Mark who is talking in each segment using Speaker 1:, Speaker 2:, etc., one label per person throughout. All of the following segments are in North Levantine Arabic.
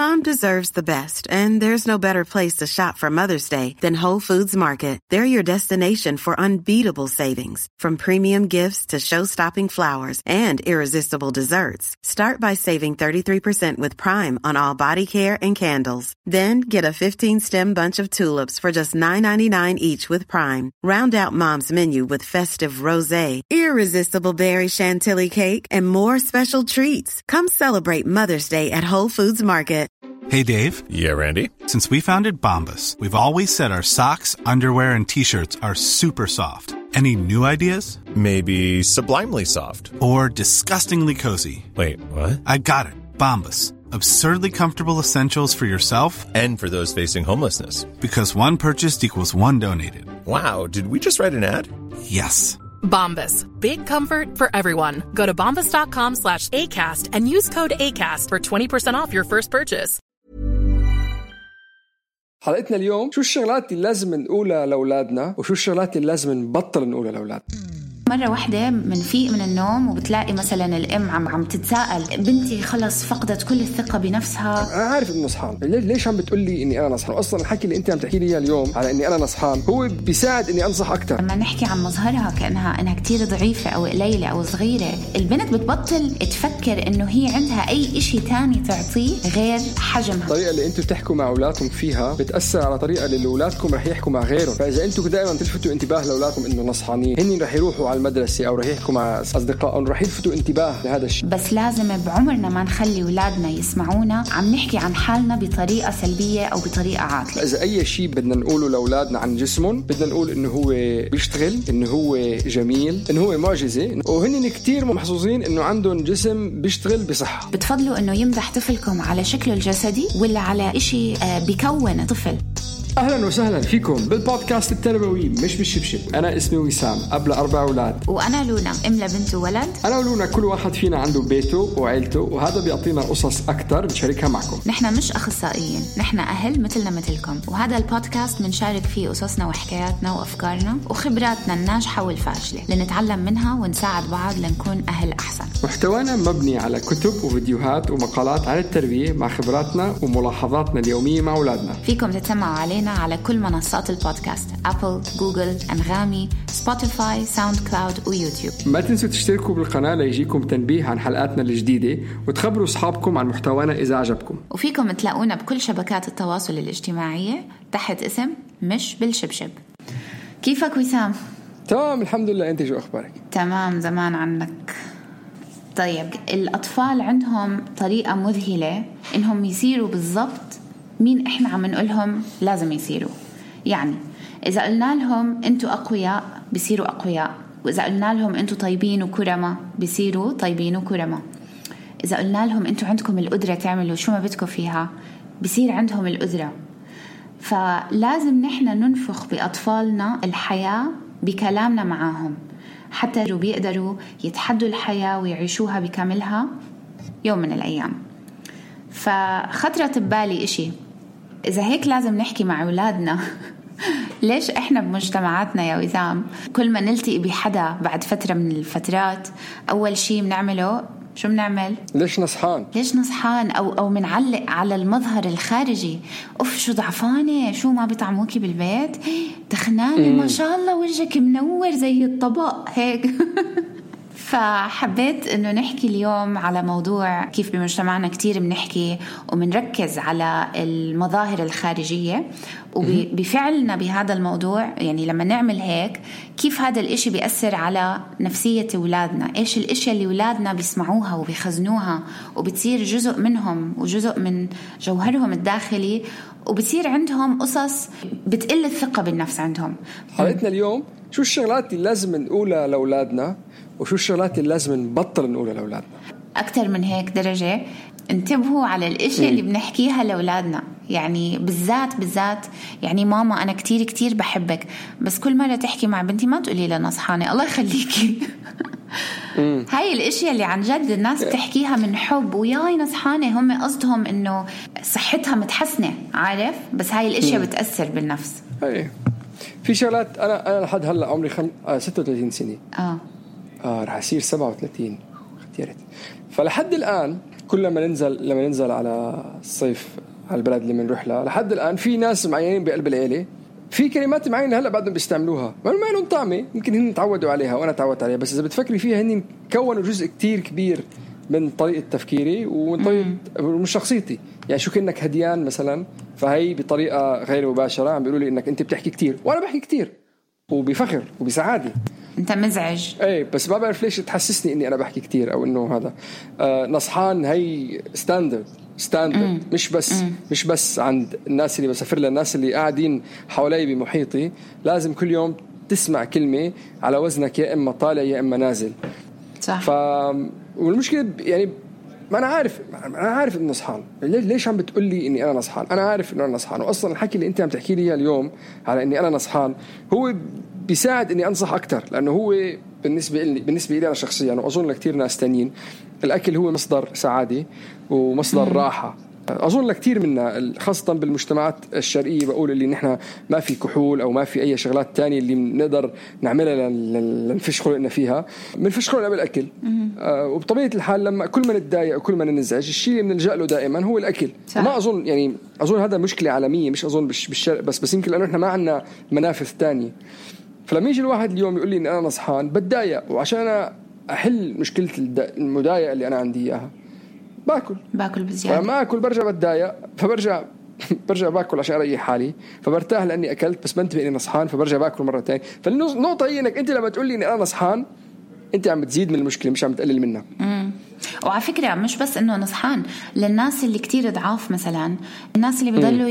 Speaker 1: Mom deserves the best, and there's no better place to shop for Mother's Day than Whole Foods Market. They're your destination for unbeatable savings, from premium gifts to show-stopping flowers and irresistible desserts. Start by saving 33% with Prime on all body care and candles. Then get a 15-stem bunch of tulips for just $9.99 each with Prime. Round out Mom's menu with festive rosé, irresistible berry chantilly cake, and more special treats. Come celebrate Mother's Day at Whole Foods Market.
Speaker 2: Hey, Dave.
Speaker 3: Yeah, Randy?
Speaker 2: Since we founded Bombas, we've always said our socks, underwear, and T-shirts are super soft. Any new ideas?
Speaker 3: Maybe sublimely soft.
Speaker 2: Or disgustingly cozy.
Speaker 3: Wait, what?
Speaker 2: I got it. Bombas. Absurdly comfortable essentials for yourself
Speaker 3: and for those facing homelessness.
Speaker 2: Because one purchased equals one donated.
Speaker 3: Wow, did we just write an ad?
Speaker 2: Yes.
Speaker 4: Bombas. Big comfort for everyone. Go to bombas.com/ACAST and use code ACAST for 20% off your first purchase.
Speaker 5: حلقتنا اليوم شو الشغلات اللي لازم نقولها لأولادنا وشو الشغلات اللي لازم نبطل نقولها لأولادنا.
Speaker 6: مرة واحدة منفيق من النوم وبتلاقي مثلا الأم عم تتساءل بنتي خلص فقدت كل الثقة بنفسها.
Speaker 5: أنا عارف إنه نصحان، ليش عم بتقولي إني أنا نصحان؟ أصلاً الحكي اللي أنت عم تحكي لي اليوم على إني أنا نصحان هو بيساعد إني أنصح أكتر.
Speaker 6: لما نحكي عن مظهرها كأنها كتير ضعيفة أو قليلة أو صغيرة، البنت بتبطل تفكر إنه هي عندها أي إشي تاني تعطيه غير حجمها.
Speaker 5: الطريقة اللي أنتوا بتحكوا مع أولادكم فيها بتأثر على طريقة اللي أولادكم رح يحكوا مع غيرهم. فإذا أنتوا دائماً تلفتوا انتباه لأولادكم إنه نصحانين، هني رح يروحوا على المدرسة أو رح يحكوا مع أصدقائهم رح يلفتوا انتباه لهذا الشيء.
Speaker 6: بس لازم بعمرنا ما نخلي أولادنا يسمعونا عم نحكي عن حالنا بطريقة سلبية أو بطريقة عاطلة.
Speaker 5: إذا أي شيء بدنا نقوله لأولادنا عن جسمهم بدنا نقول إنه هو بيشتغل، إنه هو جميل، إنه هو معجزة، وهن كتير محظوظين إنه عندهم جسم بيشتغل بصحة.
Speaker 6: بتفضلوا إنه يمدح طفلكم على شكله الجسدي ولا على إشي بيكون طفل؟
Speaker 5: أهلا وسهلا فيكم بالبودكاست التربوي مش بالشبشب. أنا اسمي وسام، أب ل4 أولاد.
Speaker 6: وأنا لونا، أم لبنت وولد.
Speaker 5: أنا ولونا كل واحد فينا عنده بيته وعيلته، وهذا بيعطينا قصص أكتر نشاركها معكم.
Speaker 6: نحن مش أخصائيين، نحن أهل مثلنا مثلكم، وهذا البودكاست منشارك فيه قصصنا وحكاياتنا وأفكارنا وخبراتنا الناجحة والفاشلة لنتعلم منها ونساعد بعض لنكون أهل أحسن.
Speaker 5: محتوانا مبني على كتب وفيديوهات ومقالات عن التربية مع خبراتنا وملاحظاتنا اليومية مع أولادنا.
Speaker 6: فيكم تتسمعوا علينا على كل منصات البودكاست: أبل، جوجل، أنغامي، سبوتيفاي، ساوند كلاود ويوتيوب.
Speaker 5: ما تنسوا تشتركوا بالقناة ليجيكم تنبيه عن حلقاتنا الجديدة وتخبروا أصحابكم عن محتوانا إذا عجبكم.
Speaker 6: وفيكم تلاقونا بكل شبكات التواصل الاجتماعية تحت اسم مش بالشبشب. كيفك وسام؟
Speaker 5: تمام الحمد لله، أنت شو أخبارك؟
Speaker 6: تمام، زمان عنك. طيب، الأطفال عندهم طريقة مذهلة إنهم يصيروا بالضبط مين إحنا عم نقولهم لازم يصيروا. يعني إذا قلنا لهم أنتوا أقوياء بيصيروا أقوياء، وإذا قلنا لهم أنتوا طيبين وكرمة بيصيروا طيبين وكرمة. إذا قلنا لهم أنتوا عندكم القدرة تعملوا شو ما بدكم فيها بيصير عندهم القدرة. فلازم نحن ننفخ بأطفالنا الحياة بكلامنا معاهم حتى بيقدروا يتحدوا الحياة ويعيشوها بكاملها يوم من الأيام. فخطرت ببالي إشي، إذا هيك لازم نحكي مع أولادنا ليش إحنا بمجتمعاتنا يا وسام كل ما نلتقي بحدا بعد فترة من الفترات أول شي بنعمله شو بنعمل؟
Speaker 5: ليش نصحان أو منعلق على المظهر الخارجي. أوف شو ضعفانة، شو ما بيطعموكي بالبيت، تخنانة، ما شاء الله وجهك منور زي الطبق هيك. فحبيت إنه نحكي اليوم على موضوع كيف بمجتمعنا كتير بنحكي ومنركز على المظاهر الخارجية، وبفعلنا بهذا الموضوع يعني لما نعمل هيك كيف هذا الإشي بيأثر على نفسية أولادنا، إيش الإشياء اللي أولادنا بيسمعوها وبيخزنوها وبتصير جزء منهم وجزء من جوهرهم الداخلي، وبتصير عندهم قصص بتقل الثقة بالنفس عندهم. حلقتنا اليوم شو الشغلات اللي لازم نقولها لأولادنا وشو الشغلات اللي لازم نبطل نقولها لأولادنا.
Speaker 6: أكتر من هيك درجة انتبهوا على الاشياء اللي بنحكيها لأولادنا. يعني بالذات يعني ماما أنا كتير بحبك، بس كل مرة تحكي مع بنتي ما تقولي لها نصحانة الله يخليكي. هاي الاشياء اللي عن جد الناس بتحكيها من حب وياي نصحانة، هم قصدهم انه صحتها متحسنة، عارف؟ بس هاي الاشياء بتأثر بالنفس.
Speaker 5: هاي في شغلات أنا لحد هلا عمري 36 سنة. رح أصير 37 اختيارات. فلحد الآن
Speaker 7: كل لما ننزل على الصيف على البلد اللي بنروح لها لحد الآن في ناس معينين بقلب العيلة في كلمات معينة هلأ بعدهم بيستعملوها ما لهم طعمة يمكن هن تعودوا عليها وأنا تعودت عليها بس إذا بتفكري فيها هن كونوا جزء كتير كبير من طريقة تفكيري ومن طريقة من شخصيتي. يعني شو كأنك هديان مثلا فهي بطريقة غير مباشرة عم بيقولوا لي إنك أنت بتحكي كتير وأنا بحكي كتير وبفخر وبسعادة.
Speaker 6: أنت مزعج.
Speaker 7: إيه بس ما بعرف ليش تحسسني إني أنا بحكي كتير أو إنه هذا نصحان. هي ستاندرد مش بس عند الناس اللي بسافر لها الناس اللي قاعدين حوالي بمحيطي لازم كل يوم تسمع كلمة على وزنك يا إما طالع يا إما نازل.
Speaker 6: صح.
Speaker 7: والمشكلة يعني ما أنا عارف إنه نصحان. ليش عم بتقول لي إني أنا نصحان؟ أنا عارف إنه أنا نصحان وأصلا الحكي اللي أنت عم تحكي لي اليوم على إني أنا نصحان هو بيساعد إني أنصح أكتر لأنه هو بالنسبة لي أنا شخصيا وأظن لكتير ناس تانيين الأكل هو مصدر سعادة ومصدر راحة. أظن لكتير منا خاصة بالمجتمعات الشرقية بقول اللي نحن ما في كحول أو ما في أي شغلات تانية اللي نقدر نعملها لنفش خلقنا فيها منفش خلقنا بالأكل. وبطبيعة الحال لما كل ما نتضايق وكل ما ننزعج الشيء اللي بنلجأ له دائما هو الأكل. ما أظن يعني أظن هذا مشكلة عالمية مش أظن بالشرق بس يمكن لأنه نحن ما عنا منافذ تانية. فلما يجي الواحد اليوم يقول لي إن أنا نصحان بتضايق وعشان أنا أحل مشكلة المضايقة اللي أنا عندي إياها باكل بزيادة. فما أكل برجع بتضايق فبرجع باكل عشان أريح حالي فبرتاح لأني أكلت بس بنتبه إني نصحان فبرجع باكل مرة تانية. فالنقطة هي إنك أنت لما تقول لي إني أنا نصحان أنت عم بتزيد من المشكلة مش عم تقلل منها.
Speaker 6: وعلى فكرة مش بس إنه نصحان للناس اللي كتير ضعاف مثلا الناس اللي بيضلوا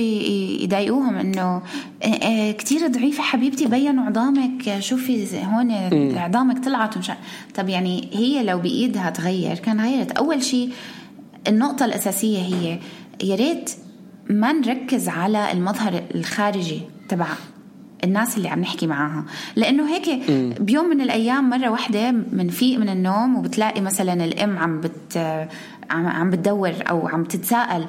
Speaker 6: يضايقوهم إنه كتير ضعيفة حبيبتي بينوا عظامك شوفي هون عظامك طلعت طب يعني هي لو بإيدها تغير كان غيرت. أول شيء النقطة الأساسية هي يا ريت ما نركز على المظهر الخارجي تبع الناس اللي عم نحكي معاها لأنه هيك بيوم من الأيام مرة واحدة منفيق من النوم وبتلاقي مثلا الأم عم بتدور أو عم تتساءل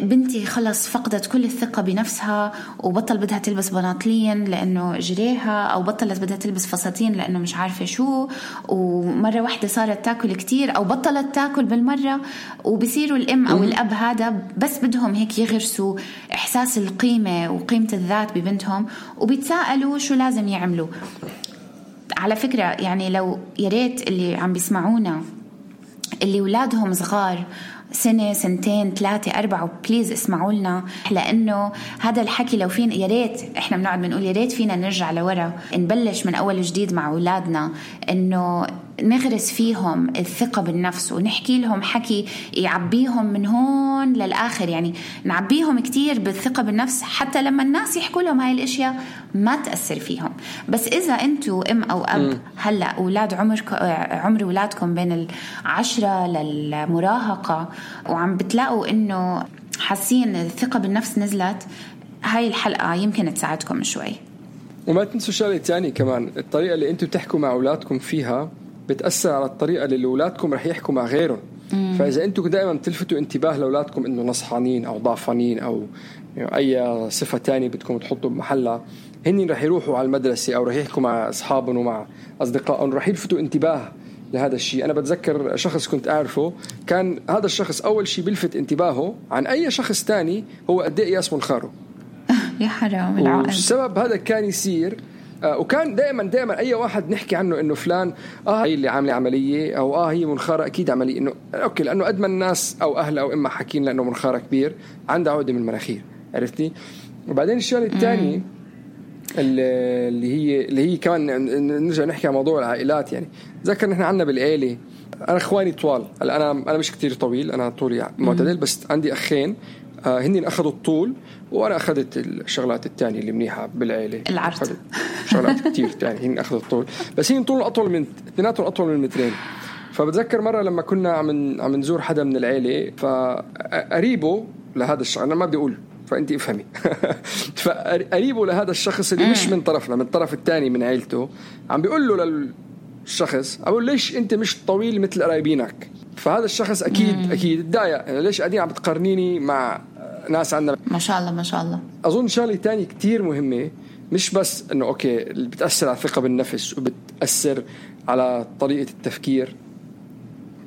Speaker 6: بنتي خلص فقدت كل الثقة بنفسها وبطل بدها تلبس بناطلين لأنه جريها أو بطلت بدها تلبس فساتين لأنه مش عارفة شو ومرة واحدة صارت تاكل كتير أو بطلت تاكل بالمرة. وبصيروا الأم أو الأب هذا بس بدهم هيك يغرسوا إحساس القيمة وقيمة الذات ببنتهم وبيتساءلوا شو لازم يعملوا. على فكرة يعني لو ياريت اللي عم بيسمعونا اللي ولادهم صغار سنة سنتين 3 4 بليز اسمعوا لنا لأنه هذا الحكي لو فين يا ريت إحنا بنقعد بنقول يا ريت فينا نرجع لورا نبلش من أول جديد مع أولادنا إنه نغرس فيهم الثقة بالنفس ونحكي لهم حكي يعبيهم من هون للآخر. يعني نعبيهم كتير بالثقة بالنفس حتى لما الناس يحكوا لهم هاي الأشياء ما تأثر فيهم. بس إذا أنتوا أم أو أب هلأ أولاد عمر أولادكم بين 10 للمراهقة وعم بتلاقوا إنه حاسين الثقة بالنفس نزلت هاي الحلقة يمكن تساعدكم شوي.
Speaker 7: وما تنسوا شغلة تاني كمان الطريقة اللي أنتوا تحكوا مع أولادكم فيها بتأثر على الطريقة اللي أولادكم رح يحكوا مع غيرهم. فإذا أنتوا دائما تلفتوا انتباه لأولادكم إنه نصحانين أو ضعفانين أو أي صفة تانية بدكم تحطوا بمحلها هني رح يروحوا على المدرسة أو رح يحكوا مع أصحابهم ومع أصدقائهم رح يلفتوا انتباه لهذا الشيء. أنا بتذكر شخص كنت أعرفه كان هذا الشخص أول شيء بيلفت انتباهه عن أي شخص تاني هو قد إيه ياسمه الخارو.
Speaker 6: يا حرام العقل.
Speaker 7: والسبب هذا كان يصير وكان دائما أي واحد نحكي عنه إنه فلان هي اللي عاملة عملية أو هي منخارة أكيد عملية إنه أوكي لأنه قد ما الناس أو أهله أو إما حكين لأنه منخارة كبير عنده عقدة من المناخير عرفتي. وبعدين الشيء الثاني اللي هي كمان نرجع نحكي عن موضوع العائلات. يعني ذكر نحن عنا بالعائلة أنا إخواني طوال أنا مش كتير طويل أنا طولي معتدل بس عندي أخين هني أخذوا الطول وأنا أخذت الشغلات التانية اللي منيحة بالعائلة
Speaker 6: العرض
Speaker 7: شغلات كتير تانية هني أخذوا الطول بس هني طول أطول من اثنيناتهم أطول من 2 متر. فبتذكر مرة لما كنا عم نزور حدا من العائلة فقريبه لهذا الشخص أنا ما بدي أقول فأنت افهمي فقريبه لهذا الشخص اللي مش من طرفنا من الطرف الثاني من عائلته عم بيقول له للشخص أقول ليش أنت مش طويل مثل قرايبينك. فهذا الشخص أكيد اتضايق ليش قاعدين عم بتقارنيني مع ناس عندنا
Speaker 6: ما شاء الله ما شاء الله.
Speaker 7: أظن شغلة تانية كتير مهمة مش بس إنه أوكي اللي بتأثر على الثقة بالنفس وبتأثر على طريقة التفكير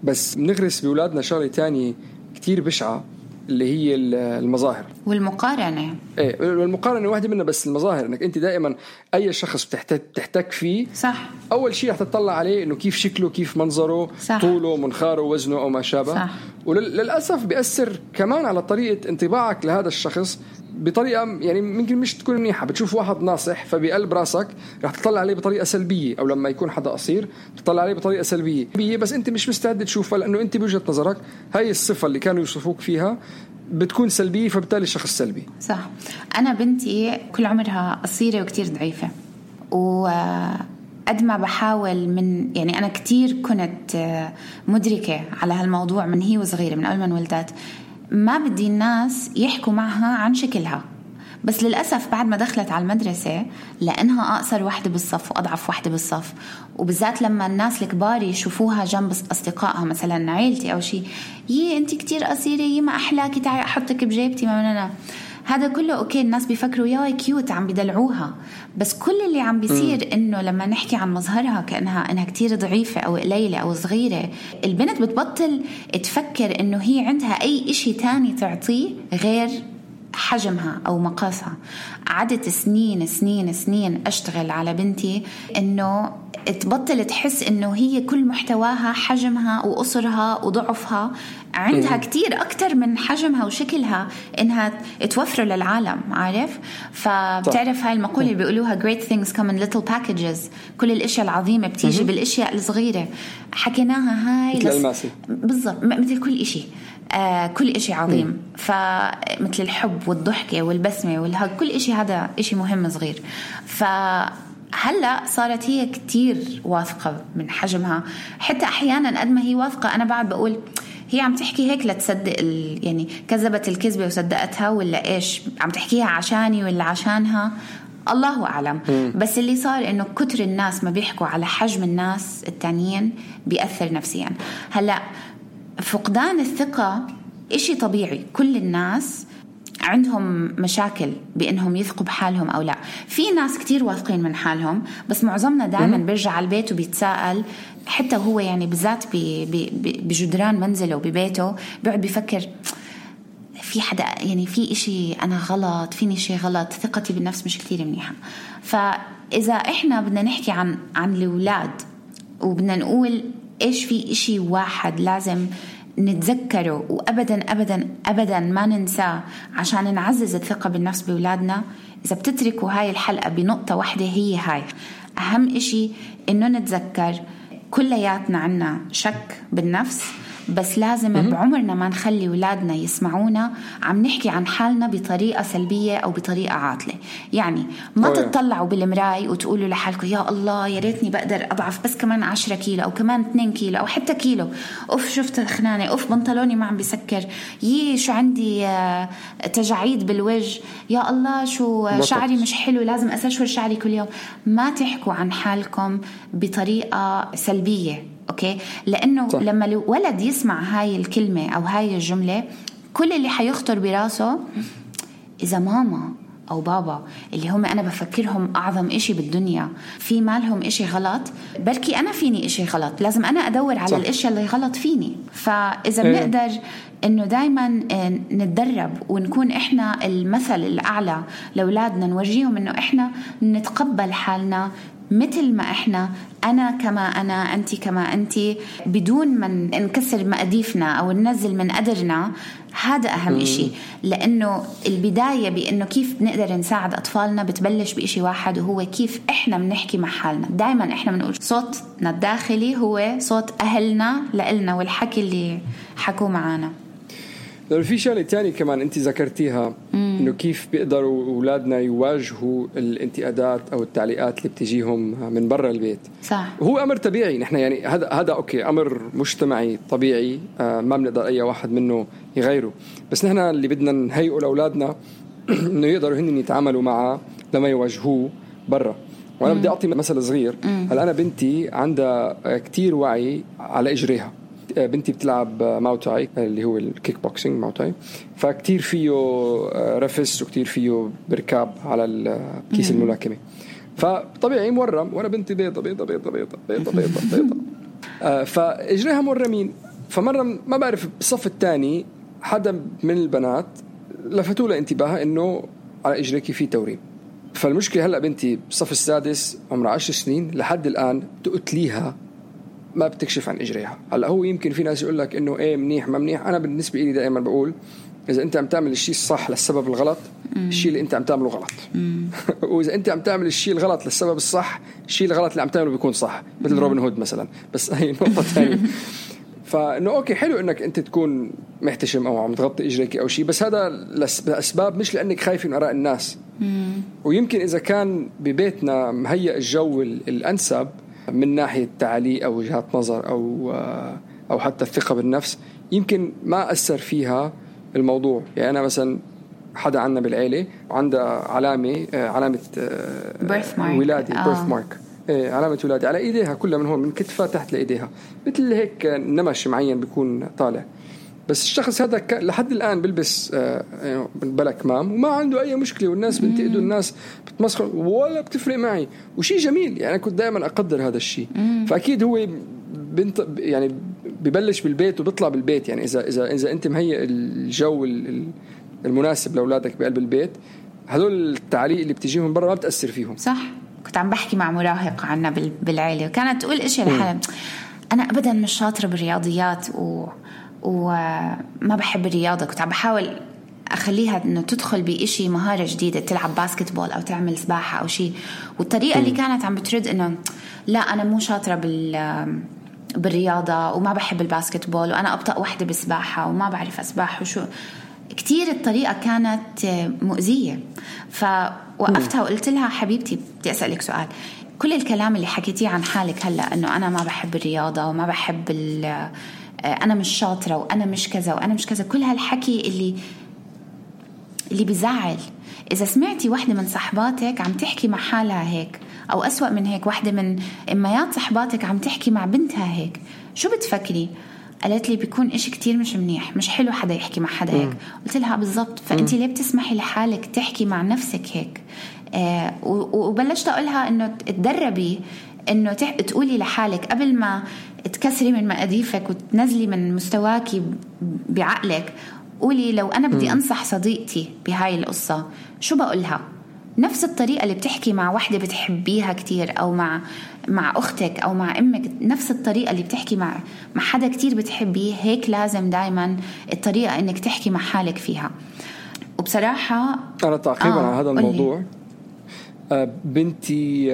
Speaker 7: بس بنغرس بأولادنا شغلة تانية كتير بشعة اللي هي المظاهر
Speaker 5: والمقارنة.
Speaker 7: ايه والمقارنة واحدة منها، بس المظاهر انك انت دائما اي شخص بتحتك فيه
Speaker 5: صح.
Speaker 7: اول شيء رح تطلع عليه انه كيف شكله، كيف منظره،
Speaker 5: صح.
Speaker 7: طوله، منخاره، وزنه او ما شابه. صح. وللأسف بيأثر كمان على طريقة انطباعك لهذا الشخص بطريقة يعني ممكن مش تكون منيحة. بتشوف واحد ناصح فبقلب راسك رح تطلع عليه بطريقة سلبية، أو لما يكون حدا قصير تطلع عليه بطريقة سلبية، بس أنت مش مستعد تشوفها لأنه أنت بوجهة نظرك هاي الصفة اللي كانوا يوصفوك فيها بتكون سلبية، فبالتالي الشخص سلبي.
Speaker 5: صح. أنا بنتي كل عمرها قصيرة وكتير ضعيفة، وقد ما بحاول من يعني أنا كتير كنت مدركة على هالموضوع من هي وصغيرة، من أول ما انولدت ما بدي الناس يحكوا معها عن شكلها. بس للأسف بعد ما دخلت على المدرسة لأنها أقصر واحدة بالصف وأضعف واحدة بالصف، وبالذات لما الناس الكبار يشوفوها جنب أصدقائها مثلا عيلتي أو شيء، أنت كتير قصيرة، ما أحلاكي، تعي أحطك بجيبتي، ما مننا هذا كله. أوكي الناس بيفكروا يا كيوت عم بدلعوها، بس كل اللي عم بيصير إنه لما نحكي عن مظهرها كأنها كتير ضعيفة أو قليلة أو صغيرة، البنت بتبطل تفكر إنه هي عندها أي إشي تاني تعطيه غير حجمها أو مقاسها. عدت سنين سنين سنين أشتغل على بنتي إنه تبطل تحس إنه هي كل محتواها حجمها وقصرها وضعفها، عندها كتير أكتر من حجمها وشكلها إنها توفر للعالم، عارف؟ فبتعرف هاي المقولة اللي بيقولوها great things come in little packages، كل الأشياء العظيمة بتيجي بالأشياء الصغيرة. حكيناها هاي بالضبط مثل كل إشي، كل إشي عظيم. فمثل الحب والضحكة والبسمة والهج، كل إشي هذا إشي مهم صغير. فهلأ صارت هي كتير واثقة من حجمها، حتى أحيانا قد ما هي واثقة أنا بعد بقول هي عم تحكي هيك لتصدق يعني كذبت الكذبة وصدقتها، ولا إيش عم تحكيها عشاني ولا عشانها، الله أعلم. بس اللي صار إنه كتر الناس ما بيحكوا على حجم الناس التانيين بيأثر نفسيا. هلأ فقدان الثقة إشي طبيعي، كل الناس عندهم مشاكل بأنهم يثقوا بحالهم أو لا. في ناس كتير واثقين من حالهم، بس معظمنا دائما بيرجع على البيت وبيتساءل، حتى هو يعني بالذات بجدران منزله وببيته بيقعد بيفكر في حدا يعني في إشي أنا غلط، فيني شيء غلط، ثقتي بالنفس مش كتير منيحة. فإذا إحنا بدنا نحكي عن الأولاد وبدنا نقول إيش في إشي واحد لازم نتذكره وأبدا أبدا أبدا ما ننساه عشان نعزز الثقة بالنفس بأولادنا، إذا بتتركوا هاي الحلقة بنقطة واحدة هي هاي أهم إشي، إنه نتذكر كلياتنا عنا شك بالنفس، بس لازم بعمرنا ما نخلي أولادنا يسمعونا عم نحكي عن حالنا بطريقة سلبية أو بطريقة عاطلة. يعني ما تطلعوا بالمراي وتقولوا لحالكم يا الله يا ريتني بقدر أضعف بس كمان 10 كيلو أو كمان 2 كيلو أو حتى كيلو، أوف شفت خنانة، أوف بنطلوني ما عم بيسكر، شو عندي تجاعيد بالوجه، يا الله شو شعري مش حلو لازم أسشور شعري كل يوم. ما تحكوا عن حالكم بطريقة سلبية، أوكي؟ لأنه صح. لما الولد يسمع هاي الكلمة أو هاي الجملة، كل اللي حيخطر براسه إذا ماما أو بابا اللي هم أنا بفكرهم أعظم إشي بالدنيا في مالهم إشي غلط، بركي أنا فيني إشي غلط، لازم أنا أدور على الإشياء اللي غلط فيني. فإذا بنقدر إنه دايما نتدرب ونكون إحنا المثل الأعلى لأولادنا، نورجيهم إنه إحنا نتقبل حالنا مثل ما إحنا، أنا كما أنا، أنتي كما أنتي، بدون ما نكسر مقاديفنا أو ننزل من قدرنا. هذا أهم إشي، لأنه البداية بأنه كيف نقدر نساعد أطفالنا بتبلش بإشي واحد، وهو كيف إحنا بنحكي مع حالنا. دايما إحنا بنقول صوتنا الداخلي هو صوت أهلنا لإلنا والحكي اللي حكوا معانا.
Speaker 7: لو في شغلة تاني كمان أنت ذكرتيها، إنه كيف بيقدروا أولادنا يواجهوا الانتقادات أو التعليقات اللي بتجيهم من برا البيت.
Speaker 5: صح.
Speaker 7: هو أمر طبيعي، نحن يعني هذا أوكي أمر مجتمعي طبيعي، ما بنقدر أي واحد منه يغيره، بس نحن اللي بدنا نهيئوا لأولادنا إنه يقدروا هن يتعاملوا معه لما يواجهوه برا. وأنا بدي أعطي مثل صغير. هلا أنا بنتي عندها كتير وعي على إجريها. بنتي بتلعب ماوتاي اللي هو الكيك بوكسينج ماوتاي، فكتير فيه رفس وكتير فيه بركاب على الكيس الملاكمة، فطبيعي مورم، وأنا بنتي بيضة بيضة بيضة بيضة بيضة بيضة بيضة فإجريها مورمين. فمرة ما بعرف بالصف الثاني حدا من البنات لفتوا له انتباهها إنه على إجريكي في توريم. فالمشكلة هلأ بنتي بالصف السادس عمرها 10 سنين لحد الآن تقتليها ما بتكشف عن إجريها. هلأ هو يمكن في ناس يقول لك إنه إيه منيح ما منيح. أنا بالنسبة لي دائما بقول إذا أنت عم تعمل الشيء الصح للسبب الغلط الشيء اللي أنت عم تعمله غلط وإذا أنت عم تعمل الشيء الغلط للسبب الصح الشيء الغلط اللي عم تعمله بيكون صح مثل روبن هود مثلا. بس هي نقطة ثانية. فإنه أوكي حلو إنك أنت تكون محتشم أو عم تغطي إجريك أو شيء بس هذا لأسباب مش لأنك خايف من آراء الناس. ويمكن إذا كان ببيتنا مهيئ الجو الأنسب من ناحية تعليق أو وجهات نظر أو حتى الثقة بالنفس يمكن ما أثر فيها الموضوع. يعني أنا مثلا حدا عنا بالعيلة عنده علامة ولادي birth mark علامة ولادي على إيديها كلها من هون من كتفها تحت لإيديها مثل هيك نمش معين بيكون طالع. بس الشخص هذا لحد الآن بلبس بلا كمام وما عنده أي مشكلة والناس بنتقدوا الناس بتمسخر ولا بتفرق معي وشي جميل. يعني أنا كنت دائما أقدر هذا الشيء. فأكيد هو يعني ببلش بالبيت وبيطلع بالبيت. يعني إذا أنت مهيئ الجو المناسب لأولادك بقلب البيت هذول التعليق اللي بتجيهم من برا ما بتأثر فيهم.
Speaker 6: صح. كنت عم بحكي مع مراهق عنا بالعائلة وكانت تقول إشي لحالها أنا أبدا مش شاطرة بالرياضيات وما بحب الرياضة. كنت عم بحاول أخليها إنه تدخل بإشي مهارة جديدة تلعب باسكتبول أو تعمل سباحة أو شيء. والطريقة اللي كانت عم بترد إنه لا أنا مو شاطرة بالرياضة وما بحب الباسكتبول وأنا أبطأ واحدة بالسباحة وما بعرف أسبح وشو كتير. الطريقة كانت مؤذية. فوقفتها وقلت لها حبيبتي بدي أسألك سؤال. كل الكلام اللي حكيتيه عن حالك هلأ إنه أنا ما بحب الرياضة وما بحب أنا مش شاطرة وأنا مش كذا وأنا مش كذا كل هالحكي اللي بيزعل. إذا سمعتي واحدة من صحباتك عم تحكي مع حالها هيك أو أسوأ من هيك واحدة من إميات صحباتك عم تحكي مع بنتها هيك شو بتفكري؟ قالت لي بيكون إشي كتير مش منيح مش حلو حدا يحكي مع حدا هيك. قلت لها بالضبط. فأنتي ليه بتسمحي لحالك تحكي مع نفسك هيك؟ وبلشت أقولها إنه تدربي إنه تقولي لحالك قبل ما تكسري من مقاديفك وتنزلي من مستواكي بعقلك قولي لو أنا بدي أنصح صديقتي بهاي القصة شو بقولها؟ نفس الطريقة اللي بتحكي مع واحدة بتحبيها كتير أو مع أختك أو مع أمك نفس الطريقة اللي بتحكي مع حدا كتير بتحبيه هيك لازم دايما الطريقة إنك تحكي مع حالك فيها. وبصراحة
Speaker 7: أنا تعقيبا على هذا الموضوع بنتي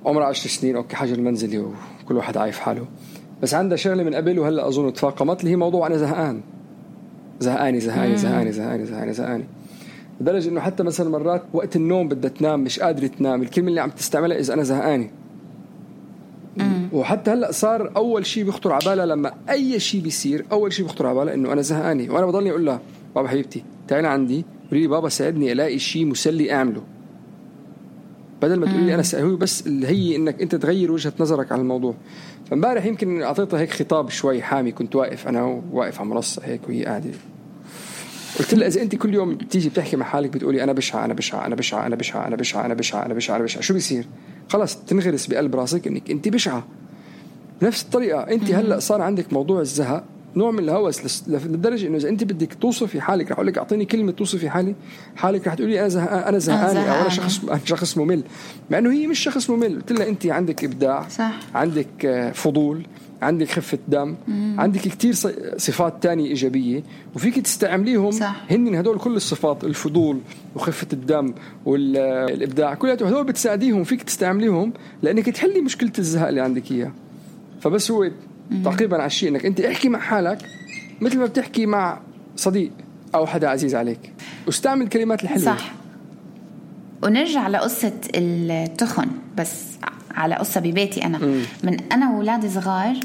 Speaker 7: عمرها 10 سنين أوكي حجر منزلي وكل واحد عايف حاله بس عندها شغلة من قبل وهلأ أظن تفاقمت اللي هي موضوع أنا زهقاني لدرجة إنه حتى مثلا مرات وقت النوم بدها تنام مش قادرة تنام الكلمة اللي عم تستعملها إذا أنا زهقاني. وحتى هلأ صار أول شيء بيخطر على بالها لما أي شيء بيصير أول شيء بيخطر على بالها إنه أنا زهقاني. وأنا بضلني أقول لها بابا حبيبتي تعالي عندي قولي لي بابا ساعدني ألاقي شيء مسلي أعمله بدل ما تقولي لي أنا هو بس اللي هي إنك أنت تغير وجهة نظرك على الموضوع. فامبارح يمكن أعطيتها هيك خطاب شوي حامي كنت واقف أنا واقف على منصة هيك وهي قاعدة قلت لها إذا أنت كل يوم تيجي بتحكي مع حالك بتقولي أنا بشعة شو بيصير؟ خلاص تنغرس بقلب راسك إنك أنت بشعة. نفس الطريقة أنت هلأ صار عندك موضوع الزهق نوع من الهوس لدرجة إنه إذا أنت بدك توصفي حالك رح أقول لك أعطيني كلمة توصفي حالك رح تقولي أنا زهقاني أو أنا شخص ممل مع إنه هي مش شخص ممل. قلت لها أنت عندك إبداع
Speaker 6: صح.
Speaker 7: عندك فضول عندك خفة دم عندك كتير صفات تانية إيجابية وفيك تستعمليهم هن هدول كل الصفات الفضول وخفة الدم والإبداع كلها هدول بتساعديهم فيك تستعمليهم لأنك تحلي مشكلة الزهق اللي عندك إياه. فبس هو تقريبا على الشيء انك انت احكي مع حالك مثل ما بتحكي مع صديق او حدا عزيز عليك واستعمل الكلمات الحلوه صح.
Speaker 6: ونرجع لقصة التخن بس على قصة ببيتي أنا من أنا وولادي صغار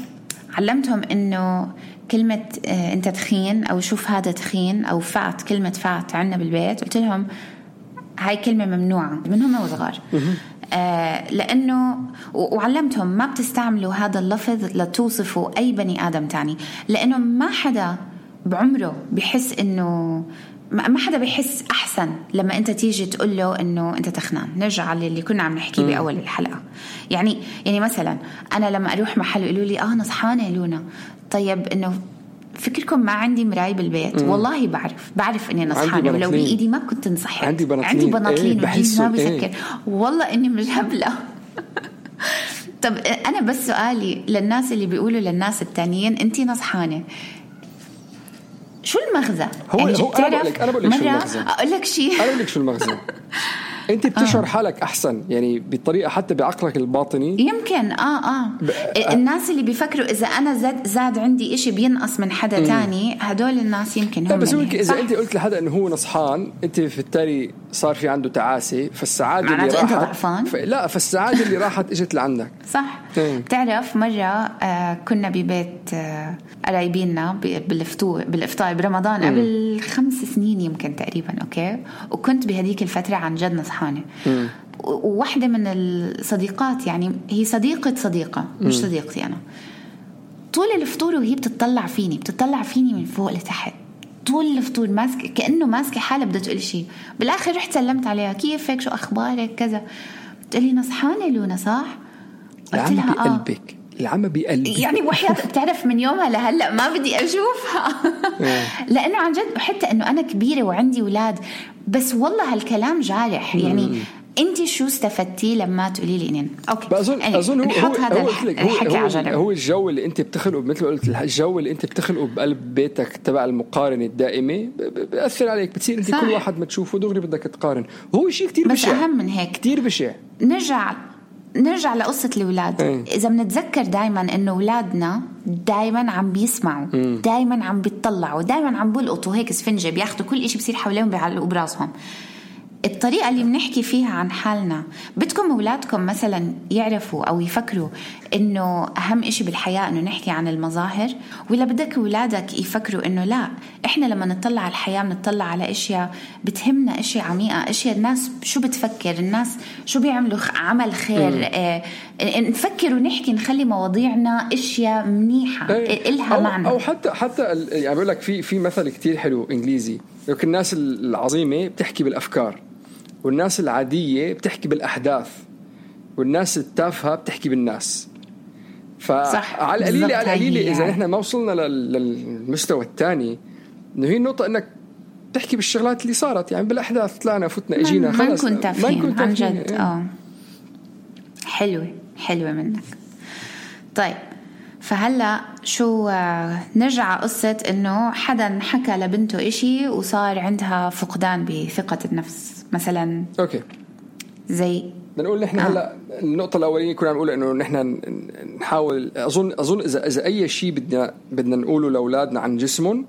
Speaker 6: علمتهم إنه كلمة أنت تخين أو شوف هذا تخين أو فات كلمة فات عنا بالبيت قلت لهم هاي كلمة ممنوعة منهم وصغار لأنه وعلمتهم ما بتستعملوا هذا اللفظ لتوصفوا أي بني آدم تاني لأنه ما حدا بعمره بحس إنه
Speaker 5: ما حدا بيحس أحسن لما أنت تيجي تقول له إنه أنت تخنان. نرجع للي كنا عم نحكي بأول الحلقة. يعني مثلا أنا لما أروح محل يقولوا لي نصحانة لونا، طيب إنه فكركم ما عندي مراي بالبيت؟ والله بعرف إني نصحانة، ولو بإيدي ما كنت نصحت.
Speaker 7: عندي بناطلين
Speaker 5: ما بفكر والله إني مش هبلة. طب أنا بس سؤالي للناس اللي بيقولوا للناس التانيين أنتي نصحانة، شو المغزى؟
Speaker 7: هو
Speaker 5: أنا
Speaker 7: بقول لك شو المغزى.
Speaker 5: أقول لك شيء،
Speaker 7: أنا بقول لك شو المغزى. أنت بتشعر حالك أحسن يعني بطريقة حتى بعقلك الباطني
Speaker 5: يمكن الناس اللي بيفكروا إذا أنا زاد عندي إشي بينقص من حدا تاني، هدول الناس يمكن هم.
Speaker 7: بس إذا أنت قلت لحدا إنه هو نصحان، أنت في التالي صار في عنده تعاسة، فالسعادة اللي راحت
Speaker 5: أنت ضعفان.
Speaker 7: لا، فالسعادة اللي راحت إجت لعندك.
Speaker 5: صح. بتعرف مرة كنا ببيت قرايبيننا بالإفطار برمضان قبل 5 سنين يمكن تقريبا، أوكي، وكنت بهديك الفترة عن جد نصحانة. وواحدة من الصديقات، يعني هي صديقة مش صديقتي أنا، طول الفطور وهي بتطلع فيني من فوق لتحت طول الفطور، ماسكة كأنه ماسكة حالة بدها تقول شيء. بالآخر رحت سلمت عليها، كيفك، شو أخبارك، كذا. بتقولي نصحانة لونا صح؟ قلت لها
Speaker 7: بقلبك العمى بقلبي
Speaker 5: يعني وحياة. بتعرف من يومها لهلأ ما بدي أشوفها. لأنه عن جد، وحتى أنه أنا كبيرة وعندي أولاد، بس والله هالكلام جارح. يعني أنت شو استفدتي لما تقولي لي إنين أوكي؟
Speaker 7: أظن هو الجو اللي أنت بتخلقه، مثل ما قلت، الجو اللي أنت بتخلقه بقلب بيتك تبع المقارنة الدائمة بيأثر عليك. بتصير أنت كل واحد ما تشوفه دغري بدك تقارن. هو شيء كتير بشع،
Speaker 5: بس أهم من هيك
Speaker 7: كتير بشع.
Speaker 5: نرجع لقصة الأولاد. إذا بنتذكر دايما إنه أولادنا دايما عم بيسمعوا، دايما عم بيطلعوا، دايما عم بيلقطوا هيك سفنجة، بياخدوا كل إشي بصير حواليهم بيعلقوا براسهم. الطريقة اللي بنحكي فيها عن حالنا، بدكم أولادكم مثلا يعرفوا أو يفكروا إنه أهم إشي بالحياة إنه نحكي عن المظاهر، ولا بدك أولادك يفكروا إنه لا، إحنا لما نطلع على الحياة بنطلع على أشياء بتهمنا، أشياء عميقة، أشياء الناس شو بتفكر، الناس شو بيعملوا عمل خير. نفكر ونحكي، نخلي مواضيعنا أشياء منيحة إلها معنى.
Speaker 7: أو حتى يعني بقول لك في مثل كتير حلو إنجليزي، يمكن الناس العظيمة بتحكي بالأفكار، والناس العادية بتحكي بالأحداث، والناس التافهة بتحكي بالناس. فعلى القليلة إذا نحن ما وصلنا للمستوى الثاني، إنه هي النقطة إنك تحكي بالشغلات اللي صارت، يعني بالأحداث طلعنا فتنا إجينا خلص،
Speaker 5: ما نكون تافهين عن جد. حلوة منك. طيب، فهلا شو نرجع قصة إنه حدا حكى لبنته إشي وصار عندها فقدان بثقة النفس مثلا.
Speaker 7: أوكي،
Speaker 5: زي
Speaker 7: بنقول نحن هلا النقطة الأولية كنا نقول إنه نحن نحاول. أظن إذا أي شيء بدنا نقوله لأولادنا عن جسمهم،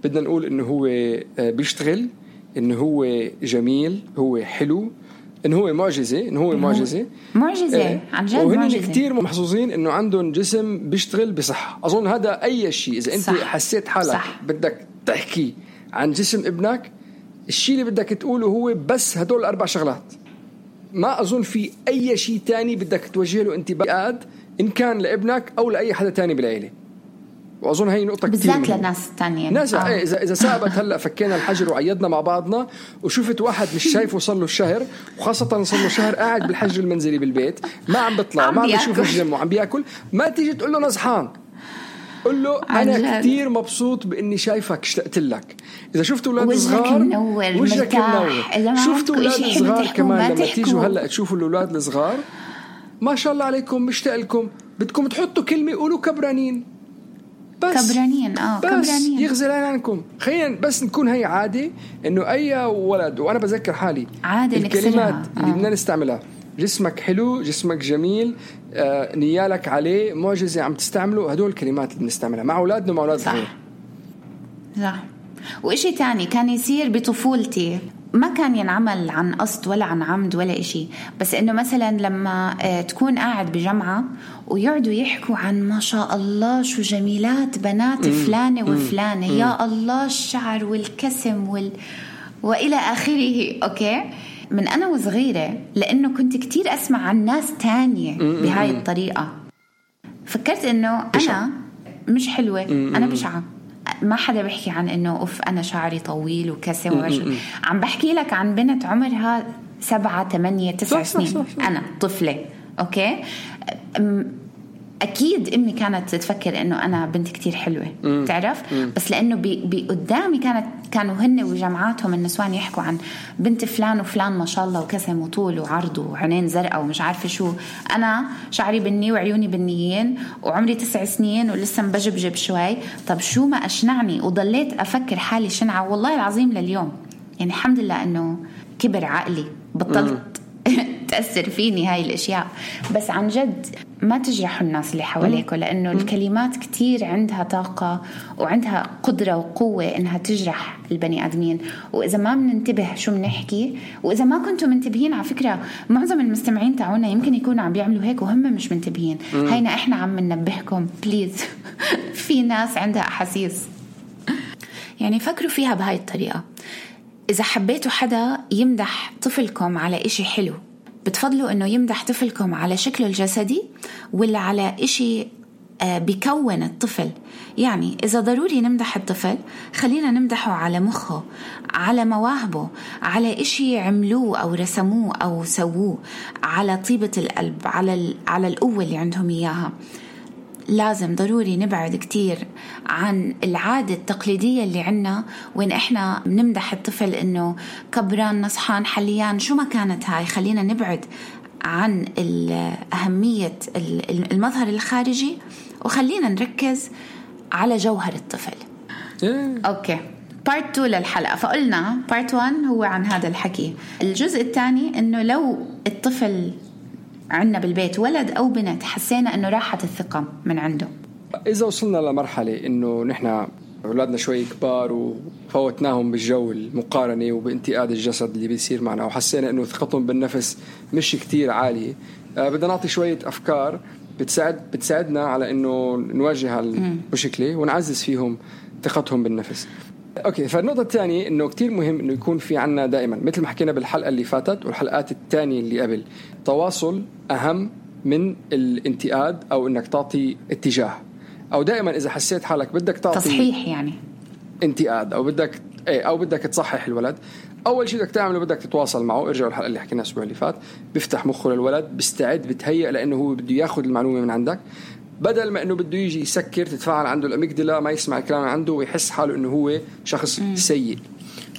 Speaker 7: بدنا نقول إنه هو بيشتغل، إنه هو جميل، هو حلو، إنه هو معجزة،
Speaker 5: عن جد.
Speaker 7: وهن كتير محظوظين إنه عندهم جسم بيشتغل بصحة. أظن هذا أي شيء. إذا أنت حسيت حالك بدك تحكي عن جسم ابنك، الشيء اللي بدك تقوله هو بس هدول 4 شغلات. ما أظن في أي شيء تاني بدك توجه له انتباه، إن كان لابنك أو لأي حدا تاني بالعيلة. وأظن هاي نقطة كتير
Speaker 5: بالذات للناس التانية.
Speaker 7: ناس إذا سابت هلأ فكينا الحجر وعيدنا مع بعضنا، وشوفت واحد مش شايفه صار له شهر، وخاصة صار له شهر قاعد بالحجر المنزلي بالبيت، ما عم بيطلع، ما عم بيشوف الجيم وعم بياكل، ما تيجي تقول له نصحان. قل له أنا كتير مبسوط بإني شايفك، اشتقت لك. إذا شفتوا أولاد صغار وجهك منور، شفتوا أولاد صغار كمان لما تيجوا هلأ تشوفوا الأولاد الصغار، ما شاء الله عليكم، مشتاق لكم، بدكم تحطوا كلمة قولوا كبرانين، بس
Speaker 5: كبرانين.
Speaker 7: بس يغزل عنكم. خلينا بس نكون هي عادة، إنه أي ولد، وأنا بذكر حالي
Speaker 5: عادة
Speaker 7: الكلمات اللي بدنا نستعملها، جسمك حلو، جسمك جميل، نيالك عليه، معجزة، عم تستعملوا هدول الكلمات اللي بنستعملها مع أولادنا ومع أولاد غير.
Speaker 5: صح. وإشي تاني كان يصير بطفولتي، ما كان ينعمل عن قصد ولا عن عمد ولا إشي، بس إنه مثلا لما تكون قاعد بجمعة ويقعدوا يحكوا عن ما شاء الله شو جميلات بنات فلانة وفلانة، يا الله الشعر والكسم وإلى آخره. أوكي، من أنا وصغيرة، لأنه كنت كتير أسمع عن ناس تانية بهاي الطريقة، فكرت إنه أنا مش حلوة، أنا بشعة. ما حدا بيحكي عن إنه أوف أنا شعري طويل وكسر عم بحكي لك عن بنت عمرها 7 8 9 سنين. صح. أنا طفلة أوكي. أكيد أمي كانت تفكر إنه أنا بنت كتير حلوة تعرف. بس لأنه قدامي كانوا هن وجماعاتهم النسوان يحكوا عن بنت فلان وفلان ما شاء الله وكسم وطول وعرض وعينين زرقاء ومش عارفة شو. أنا شعري بني وعيوني بنيين وعمري 9 سنين ولسه مبجبجب شوي. طب شو ما أشنعني وضليت أفكر حالي شنعة والله العظيم لليوم. يعني الحمد لله إنه كبر عقلي بطلت تأثر فيني هاي الأشياء. بس عن جد ما تجرحوا الناس اللي حواليكوا لأنه الكلمات كتير عندها طاقة وعندها قدرة وقوة إنها تجرح البني آدمين. وإذا ما بننتبه شو بنحكي وإذا ما كنتوا منتبهين على فكرة معظم المستمعين تاعونا يمكن يكونوا عم بيعملوا هيك وهم مش منتبهين. هينا إحنا عم ننبهكم بليز. في ناس عندها أحاسيس. يعني فكروا فيها بهاي الطريقة. إذا حبيتوا حدا يمدح طفلكم على إشي حلو بتفضلوا إنه يمدح طفلكم على شكله الجسدي ولا على إشي بيكون الطفل؟ يعني إذا ضروري نمدح الطفل خلينا نمدحه على مخه، على مواهبه، على إشي عملوه أو رسموه أو سووه، على طيبة القلب، على القوة اللي عندهم إياها. لازم ضروري نبعد كتير عن العادة التقليدية اللي عنا وين إحنا نمدح الطفل إنه كبران نصحان حليان شو ما كانت هاي. خلينا نبعد عن أهمية المظهر الخارجي وخلينا نركز على جوهر الطفل. أوكي part 2 للحلقة. فقلنا part 1 هو عن هذا الحكي. الجزء الثاني إنه لو الطفل عنا بالبيت ولد أو بنت حسينا إنه راحت الثقة من عنده.
Speaker 7: إذا وصلنا لمرحلة إنه نحنا أولادنا شوي كبار وفوتناهم بالجو المقارنة وبانتقاد الجسد اللي بيصير معنا وحسينا إنه ثقتهم بالنفس مش كتير عالية، بدنا نعطي شوية أفكار بتساعدنا على إنه نواجه هالمشكلة ونعزز فيهم ثقتهم بالنفس. أوكي. فالنقطة الثانية إنه كتير مهم إنه يكون في عنا دائما مثل ما حكينا بالحلقة اللي فاتت والحلقات الثانية اللي قبل، تواصل أهم من الانتقاد أو إنك تعطي اتجاه. أو دائما إذا حسيت حالك بدك تعطي
Speaker 5: تصحيح يعني
Speaker 7: انتقاد أو بدك تصحح الولد، أول شيء بدك تعمله بدك تتواصل معه. ارجعوا الحلقة اللي حكينا الأسبوع اللي فات. بيفتح مخه للولد، بيستعد، بتهيأ لأنه هو بده ياخد المعلومة من عندك بدل ما إنه بده يجي يسكر تتفاعل عنده الأميجدلا ما يسمع الكلام عنده ويحس حاله إنه هو شخص سيء.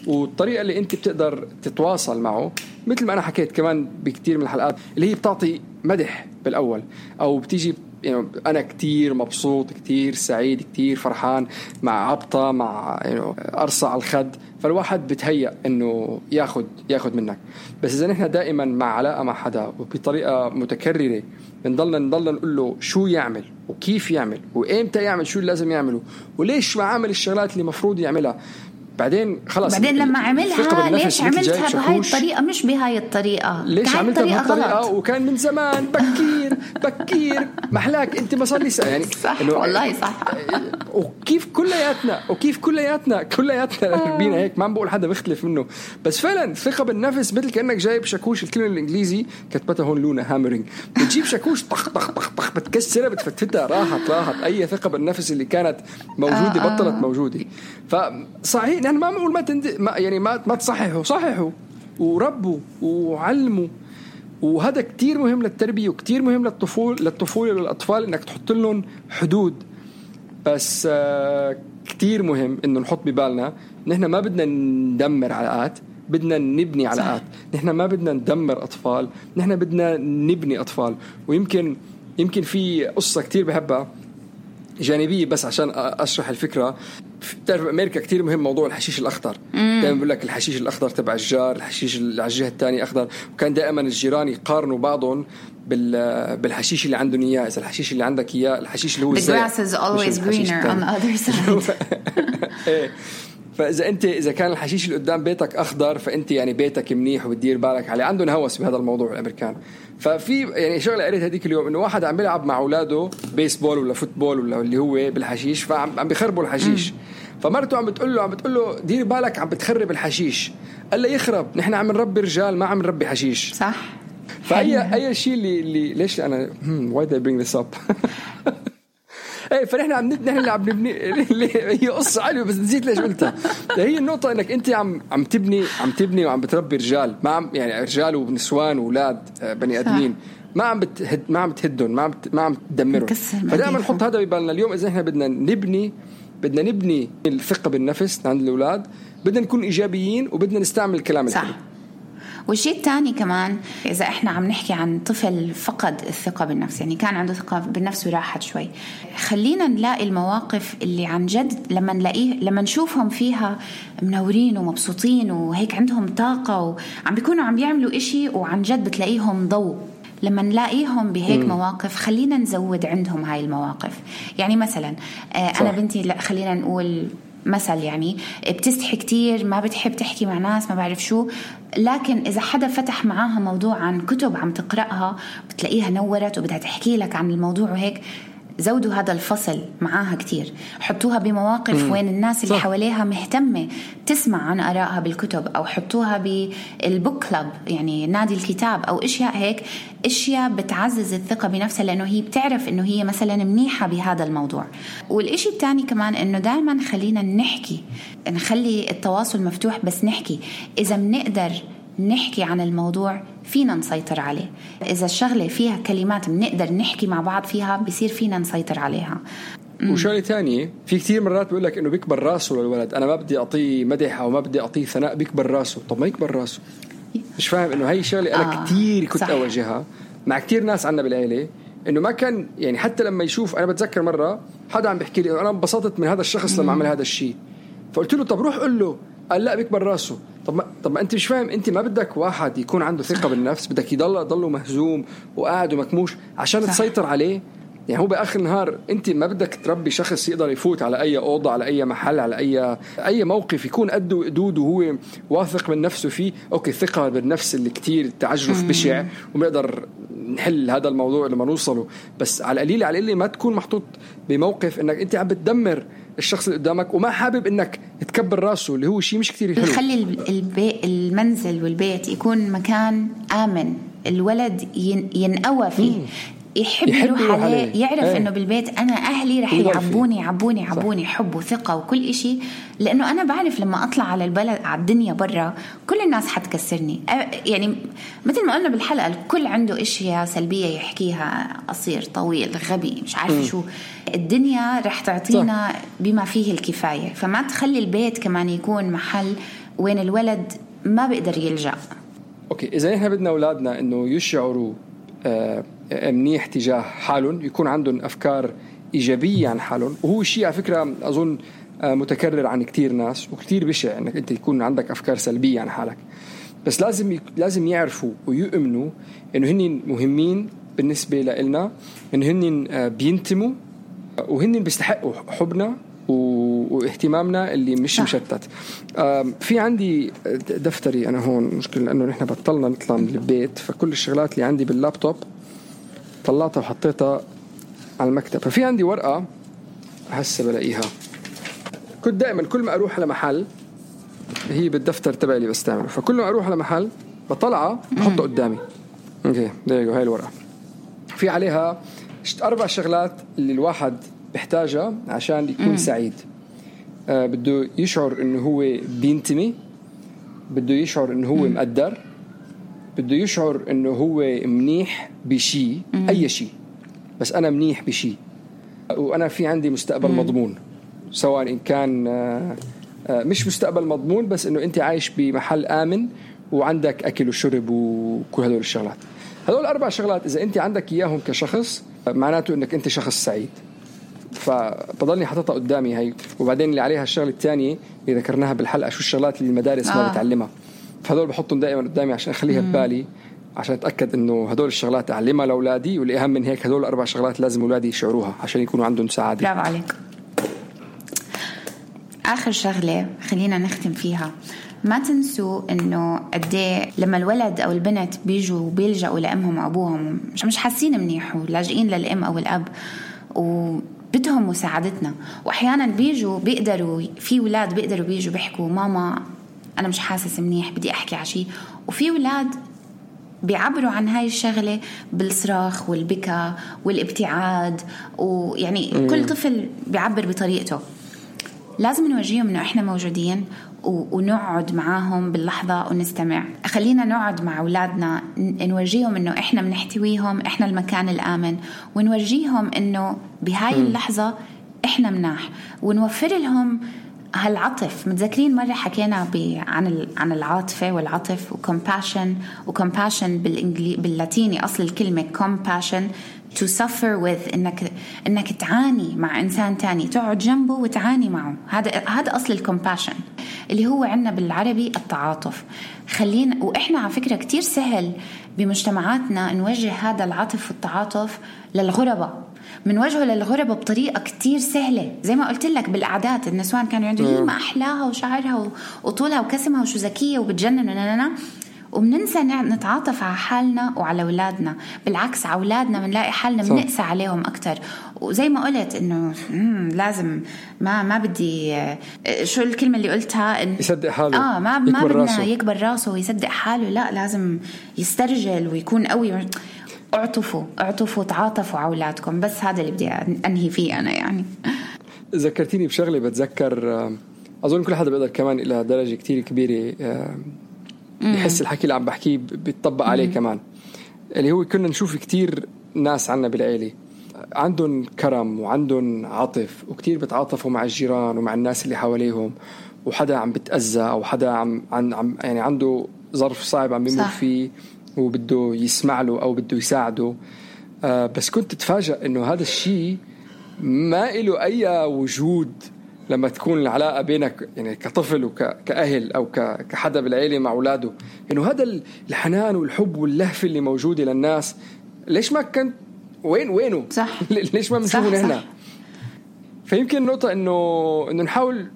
Speaker 7: والطريقة اللي أنت بتقدر تتواصل معه مثل ما أنا حكيت كمان بكتير من الحلقات اللي هي بتعطي مدح بالأول أو بتيجي يعني أنا كتير مبسوط كتير سعيد كتير فرحان مع عبطة مع أرصع الخد، فالواحد بتهيأ إنه ياخد منك. بس إذا نحن دائما مع علاقة مع حدا وبطريقة متكررة بنضلنا نقول له شو يعمل وكيف يعمل وإمتى يعمل شو اللي لازم يعمله وليش ما عمل الشغلات اللي مفروض يعملها، بعدين خلاص
Speaker 5: بعدين لما عملها ليش عملتها بهاي الطريقة مش بهاي الطريقة،
Speaker 7: ليش عملتها بهالطريقة وكان من زمان بكير محلاك انت ما صار لي يعني
Speaker 5: صح والله صح.
Speaker 7: وكيف كلياتنا بينا هيك، ما عم بقول حدا بيختلف منه، بس فعلا ثقة بالنفس مثل كأنك جايب شاكوش، الكلمة الإنجليزي كتبتها هون لونا هامرينج، بتجيب شاكوش طخ طخ طخ طخ بتكسرها بتفتتها راحت أي ثقة بالنفس اللي كانت موجودة بطلت موجودة. فصحيح يعني ما بقول ما تصححوا، صححوا وربوا وعلموا، وهذا كتير مهم للتربية وكتير مهم للطفولة للأطفال إنك تحط لهم حدود. بس كتير مهم إنه نحط ببالنا نحن ما بدنا ندمر علاقات، بدنا نبني علاقات. نحن ما بدنا ندمر أطفال، نحن بدنا نبني أطفال. ويمكن في قصة كتير بحبها جانبية بس عشان أشرح الفكرة. تعرف أمريكا كتير مهم موضوع الحشيش الأخضر، دائما بقول لك الحشيش الأخضر تبع الجار، الحشيش اللي على الجهة الثانية أخضر، وكان دائما الجيران يقارنوا بعضهم بالحشيش اللي عندهم إياه. إذا الحشيش اللي عندك إياه الحشيش اللي هو
Speaker 5: the grass is always greener on the other side.
Speaker 7: فإذا كان الحشيش اللي قدام بيتك أخضر فأنت يعني بيتك منيح وبتدير بالك عليه. عندهم هوس بهذا الموضوع الأمريكان. ففي يعني شغلة قريت هذيك اليوم إنه واحد عم بيلعب مع أولاده بيسبول ولا فوتبول ولا اللي هو بالحشيش، فعم بيخربوا الحشيش. فمرته عم بتقول له دير بالك عم بتخرب الحشيش. قال له يخرب، نحن عم نربي رجال ما عم نربي حشيش.
Speaker 5: صح.
Speaker 7: فأي شيء اللي ليش أنا why did I bring this up ايه فنحن نحن اللي عم نبني. هي قصة حلوة بس نسيت ليش قلتها. هي النقطة انك انت عم تبني وعم بتربي رجال، ما عم يعني رجال ونسوان واولاد بني ادمين، ما عم تهدهم، ما عم تدمرهم. فدائما نحط هذا ببالنا. اليوم اذا احنا بدنا نبني الثقة بالنفس عند الاولاد، بدنا نكون ايجابيين وبدنا نستعمل الكلام الحلو.
Speaker 5: والشيء الثاني كمان، إذا إحنا عم نحكي عن طفل فقد الثقة بالنفس، يعني كان عنده ثقة بالنفس وراحت شوي، خلينا نلاقي المواقف اللي عن جد لما نشوفهم فيها منورين ومبسوطين وهيك عندهم طاقة وعم بيكونوا عم بيعملوا إشي وعن جد بتلاقيهم ضوء. لما نلاقيهم بهيك مواقف خلينا نزود عندهم هاي المواقف. يعني مثلا أنا بنتي خلينا نقول مثل، يعني بتستحي كتير، ما بتحب تحكي مع ناس، ما بعرف شو، لكن إذا حدا فتح معاها موضوع عن كتب عم تقرأها بتلاقيها نورت وبدها تحكي لك عن الموضوع وهيك. زودوا هذا الفصل معاها كتير، حطوها بمواقف وين الناس اللي حواليها مهتمة تسمع عن آرائها بالكتب، أو حطوها بالبوك كلاب يعني نادي الكتاب، أو إشياء هيك، إشياء بتعزز الثقة بنفسها، لأنه هي بتعرف إنه هي مثلا منيحة بهذا الموضوع. والإشي الثاني كمان إنه دائما خلينا نخلي التواصل مفتوح، بس نحكي إذا بنقدر نحكي عن الموضوع فينا نسيطر عليه. إذا الشغلة فيها كلمات بنقدر نحكي مع بعض فيها بيصير فينا نسيطر عليها.
Speaker 7: وشغلة تانية، في كتير مرات بيقول لك إنه بيكبر راسه للولد، أنا ما بدي أعطيه مدح أو ما بدي أعطيه ثناء، بيكبر راسه. طب ما يكبر راسه؟ مش فاهم إنه هاي شغلة أنا كتير كنت أواجهها مع كتير ناس عنا بالعيلة، إنه ما كان يعني حتى لما يشوف. أنا بتذكر مرة حدا عم بيحكي لي أنا انبسطت من هذا الشخص لما عمل هذا الشيء، فقلت له طب روح قل له. قال لا بيكبر راسه. طب ما انت مش فاهم، انت ما بدك واحد يكون عنده ثقة بالنفس، بدك يضله مهزوم وقاعد ومكموش عشان تسيطر عليه. يعني هو بآخر النهار انت ما بدك تربي شخص يقدر يفوت على اي اوضه، على اي محل، على اي موقف يكون قده وقدود وهو واثق من نفسه فيه. اوكي الثقة بالنفس اللي كتير تعجرف بشع وبنقدر نحل هذا الموضوع لما نوصله، بس على القليل ما تكون محطوط بموقف انك انت عم بتدمر الشخص اللي قدامك وما حابب انك تكبر راسه، اللي هو شيء مش كتير حلو.
Speaker 5: يخلي المنزل والبيت يكون مكان آمن، الولد ينقوى فيه، يحب يروح عليه، يعرف انه بالبيت انا اهلي رح يعبوني حب وثقه وكل إشي، لانه انا بعرف لما اطلع على البلد على الدنيا برا كل الناس حتكسرني. يعني مثل ما قلنا بالحلقه الكل عنده اشياء سلبيه يحكيها، قصير طويل غبي مش عارف شو، الدنيا رح تعطينا بما فيه الكفايه. فما تخلي البيت كمان يكون محل وين الولد ما بيقدر يلجأ.
Speaker 7: اوكي اذا احنا بدنا اولادنا انه يشعروا منيح تجاه حالهم، يكون عندهم أفكار إيجابية عن حالهم، وهو شيء على فكرة أظن متكرر عن كتير ناس وكتير بشع أنك أنت يكون عندك أفكار سلبية عن حالك. بس لازم يعرفوا ويؤمنوا أنه هن مهمين بالنسبة لنا، أنه هن بينتموا وهن بيستحقوا حبنا واهتمامنا اللي مش مشتت. في عندي دفتري أنا هون، مشكلة لأنه نحن بطلنا نطلع من البيت، فكل الشغلات اللي عندي باللابتوب طلعتها وحطيتها على المكتب. ففي عندي ورقة هسه بلاقيها، كنت دائما كل ما أروح على محل، هي بالدفتر تبعي اللي بستعمله، فكل ما أروح على محل بطلعها بحطها قدامي. اوكي هاي الورقة في عليها 4 شغلات اللي الواحد بيحتاجها عشان يكون سعيد. بده يشعر انه هو بينتمي، بده يشعر انه هو مقدر، بده يشعر انه هو منيح بشيء، اي شيء، بس انا منيح بشيء، وانا في عندي مستقبل مضمون، سواء ان كان مش مستقبل مضمون بس انه انت عايش بمحل امن وعندك اكل وشرب وكل هدول الشغلات. هدول 4 شغلات اذا انت عندك اياهم كشخص معناته انك انت شخص سعيد. فبضلني حاططها قدامي هاي. وبعدين اللي عليها الشغله الثانيه اللي ذكرناها بالحلقه، شو الشغلات اللي المدارس ما بتعلمها، فهدول بحطهم دائما قدامي عشان اخليها ببالي، عشان اتاكد انه هدول الشغلات اعلمها لاولادي، واللي اهم من هيك هدول 4 شغلات لازم اولادي يشعروها عشان يكونوا عندهم سعاده.
Speaker 5: برافو عليك. اخر شغله خلينا نختم فيها، ما تنسوا انه قديه لما الولد او البنت بيجوا وبيلجأوا لامهم وابوهم مش حاسين منيح ولاجئين للام او الاب وبدهم مساعدتنا، واحيانا بيقدروا في اولاد بيقدروا بيجوا بيحكوا ماما انا مش حاسس منيح بدي احكي على شيء، وفي اولاد بيعبروا عن هاي الشغلة بالصراخ والبكاء والابتعاد، ويعني كل طفل بيعبر بطريقته. لازم نورجيهم إنه إحنا موجودين ونقعد معاهم باللحظة ونستمع. خلينا نقعد مع أولادنا نورجيهم إنه إحنا بنحتويهم، إحنا المكان الآمن، ونورجيهم إنه بهاي اللحظة إحنا مناح، ونوفر لهم هالعطف. متذكرين مرة حكينا عن العاطفة والعطف وcompassion باللاتيني أصل الكلمة compassion to suffer with، إنك تعاني مع إنسان تاني، تقعد جنبه وتعاني معه. هذا أصل الcompassion اللي هو عنا بالعربي التعاطف. خلينا، وإحنا على فكرة كتير سهل بمجتمعاتنا نوجه هذا العطف والتعاطف للغرباء، من وجهه للغربة بطريقة كتير سهلة. زي ما قلت لك بالأعداد النسوان كانوا يقولوا هي ما أحلاها وشعرها وطولها وكسمها وشو ذكية وبتجنن، وبننسى نتعاطف على حالنا وعلى أولادنا. بالعكس على أولادنا بنلاقي حالنا بنقسى عليهم أكتر. وزي ما قلت إنه لازم ما بدي شو الكلمة اللي قلتها،
Speaker 7: يصدق حاله،
Speaker 5: ما بدنا يكبر راسه ويصدق حاله، لا لازم يسترجل ويكون قوي. اعطفوا تعاطفوا على أولادكم. بس هذا اللي بدي أنهي فيه أنا. يعني
Speaker 7: ذكرتيني بشغلة بتذكر، أظن كل حدا بيقدر كمان إلى درجة كتير كبيرة يحس الحكي اللي عم بحكيه بيتطبق عليه كمان، اللي هو كنا نشوف كتير ناس عنا بالعيلة عندهم كرم وعندهم عاطف، وكتير بتعاطفوا مع الجيران ومع الناس اللي حواليهم، وحدا عم بتأذى أو حدا عم يعني عنده ظرف صعب عم بيمر فيه وبده يسمع له أو بده يساعده. بس كنت تتفاجأ إنه هذا الشيء ما إله أي وجود لما تكون العلاقة بينك يعني كطفل وكأهل أو كحدا بالعيلة مع أولاده، إنه هذا الحنان والحب واللهفة اللي موجودة للناس ليش ما كنت وينه؟
Speaker 5: صح.
Speaker 7: ليش ما بنشوفه هنا؟ فيمكن النقطة إنه نحاول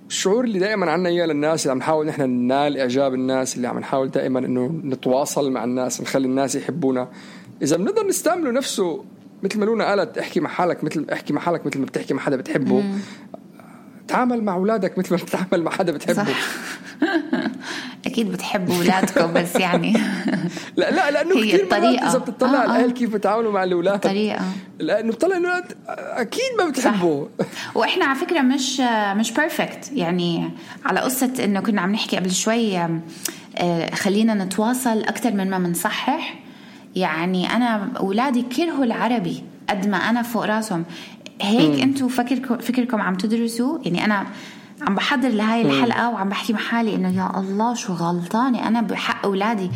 Speaker 7: الشعور اللي دائما عنا إياه للناس، اللي عم نحاول نحن ننال إعجاب الناس، اللي عم نحاول دائما إنه نتواصل مع الناس، نخلي الناس يحبونا. إذا بنقدر نستعمله نفسه مثل ما لونا قالت، احكي مع حالك مثل ما بتحكي مع حدا بتحبه. تعامل مع أولادك مثل ما بتتعامل مع حدا بتحبه.
Speaker 5: أكيد بتحبوا أولادكم، بس يعني
Speaker 7: لا لأنه كتير مرات إذا بتطلع على الأهل كيف بتعاملوا مع الأولاد
Speaker 5: الطريقة،
Speaker 7: لأنه بتطلع الأولاد أكيد ما بتحبوا.
Speaker 5: وإحنا على فكرة مش perfect. يعني على قصة إنه كنا عم نحكي قبل شوي، خلينا نتواصل أكتر من ما منصحح. يعني أنا أولادي كرهوا العربي قد ما أنا فوق راسهم. هيك أنتوا فكركم عم تدرسوا. يعني أنا عم بحضر لهاي الحلقة وعم بحكي مع حالي إنه يا الله شو غلطانة أنا بحق أولادي،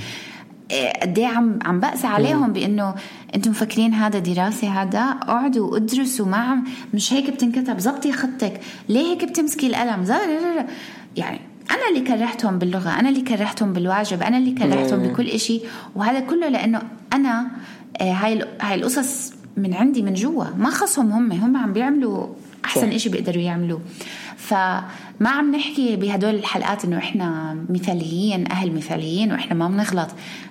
Speaker 5: قديه عم بأسى عليهم بإنه أنتم مفكرين هذا دراسة، هذا اقعدوا وادرسوا معهم، مش هيك بتنكتب، زبطي خطك، ليه هيك بتمسكي القلم؟ يعني أنا اللي كرهتهم باللغة، أنا اللي كرهتهم بالواجب، أنا اللي كرهتهم بكل إشي. وهذا كله لأنه أنا هاي القصص من عندي من جوا، ما خصهم هم عم بيعملوا أحسن إشي بيقدروا يعملوه. فما عم نحكي بهدول الحلقات إنه إحنا مثاليين، أهل مثاليين، وإحنا ما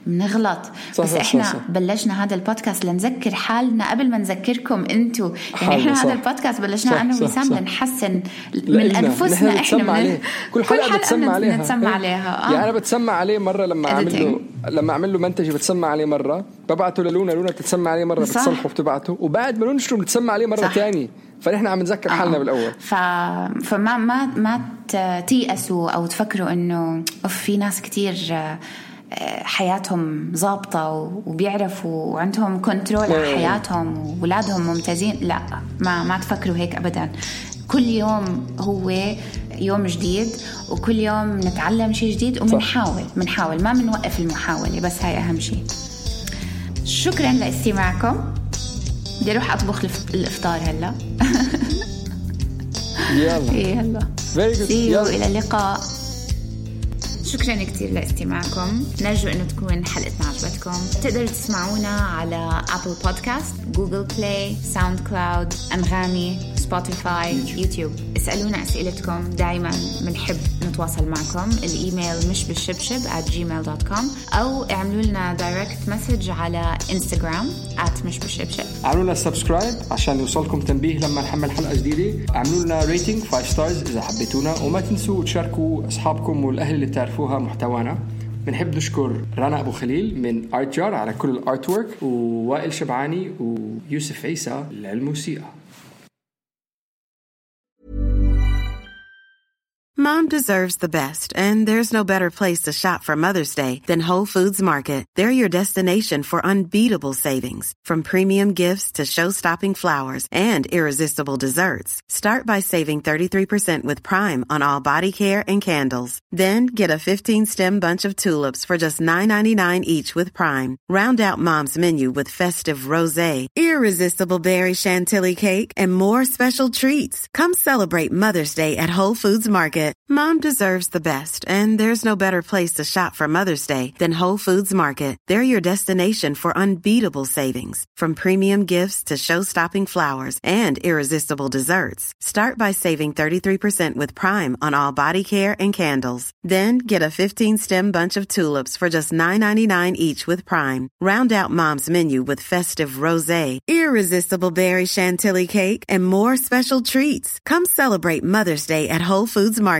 Speaker 5: بنغلط. بس إحنا بلشنا هذا البودكاست لنذكر حالنا قبل ما نذكركم أنتوا. يعني إحنا هذا البودكاست بلشنا أنا وسام لنحسن من أنفسنا. إحنا
Speaker 7: كل حلقة بتسمع عليها. يعني أنا بتسمع عليه مرة لما أعمل له منتج بتسمع عليه مرة، ببعته لونا تتسمع عليه مرة، بتصلحه وبتبعته، وبعد ما ننشره بتسمع عليه مرة تاني. فنحن عم نذكر حالنا بالأول.
Speaker 5: فما تيأسوا أو تفكروا إنه في ناس كتير حياتهم ضابطة وبيعرفوا وعندهم كنترول على حياتهم وولادهم ممتازين. لا، ما تفكروا هيك أبدا. كل يوم هو يوم جديد، وكل يوم نتعلم شيء جديد، ومنحاول ما منوقف المحاولة. بس هاي أهم شيء. شكرا لاستماعكم. بدي أروح أطبخ الإفطار هلا. يلا إلى اللقاء. شكرا كتير لاستماعكم. نرجو أنه تكون حلقتنا عجبتكم. تقدروا تسمعونا على أبل بودكاست، جوجل بلاي، ساوند كلاود، أنغامي، سبوتيفاي، يوتيوب. اسألونا أسئلتكم، دايما منحب نتواصل معكم. الإيميل مشبالشبشب@gmail.com، أو اعملوا لنا دايركت مسج على إنستغرام @مشبالشبشب.
Speaker 7: اعملوا لنا سبسكرايب عشان يوصلكم تنبيه لما نحمل حلقة جديدة. اعملوا لنا ريتنج 5 stars إذا حبيتونا، وما تنسوا تشاركوا أصحابكم والأهل اللي بتعرفوها محتوانا. بنحب نشكر رنا أبو خليل من آرت جار على كل الارت وورك، ووائل شبعاني ويوسف عيسى للموسيقى.
Speaker 1: Mom deserves the best, and there's no better place to shop for Mother's Day than Whole Foods Market. They're your destination for unbeatable savings. From premium gifts to show-stopping flowers and irresistible desserts. Start by saving 33% with Prime on all body care and candles. Then get a 15-stem bunch of tulips for just $9.99 each with Prime. Round out Mom's menu with festive rosé, irresistible berry chantilly cake, and more special treats. Come celebrate Mother's Day at Whole Foods Market. Mom deserves the best, and there's no better place to shop for Mother's Day than Whole Foods Market. They're your destination for unbeatable savings. From premium gifts to show-stopping flowers and irresistible desserts. Start by saving 33% with Prime on all body care and candles. Then get a 15-stem bunch of tulips for just $9.99 each with Prime. Round out Mom's menu with festive rosé, irresistible berry chantilly cake, and more special treats. Come celebrate Mother's Day at Whole Foods Market.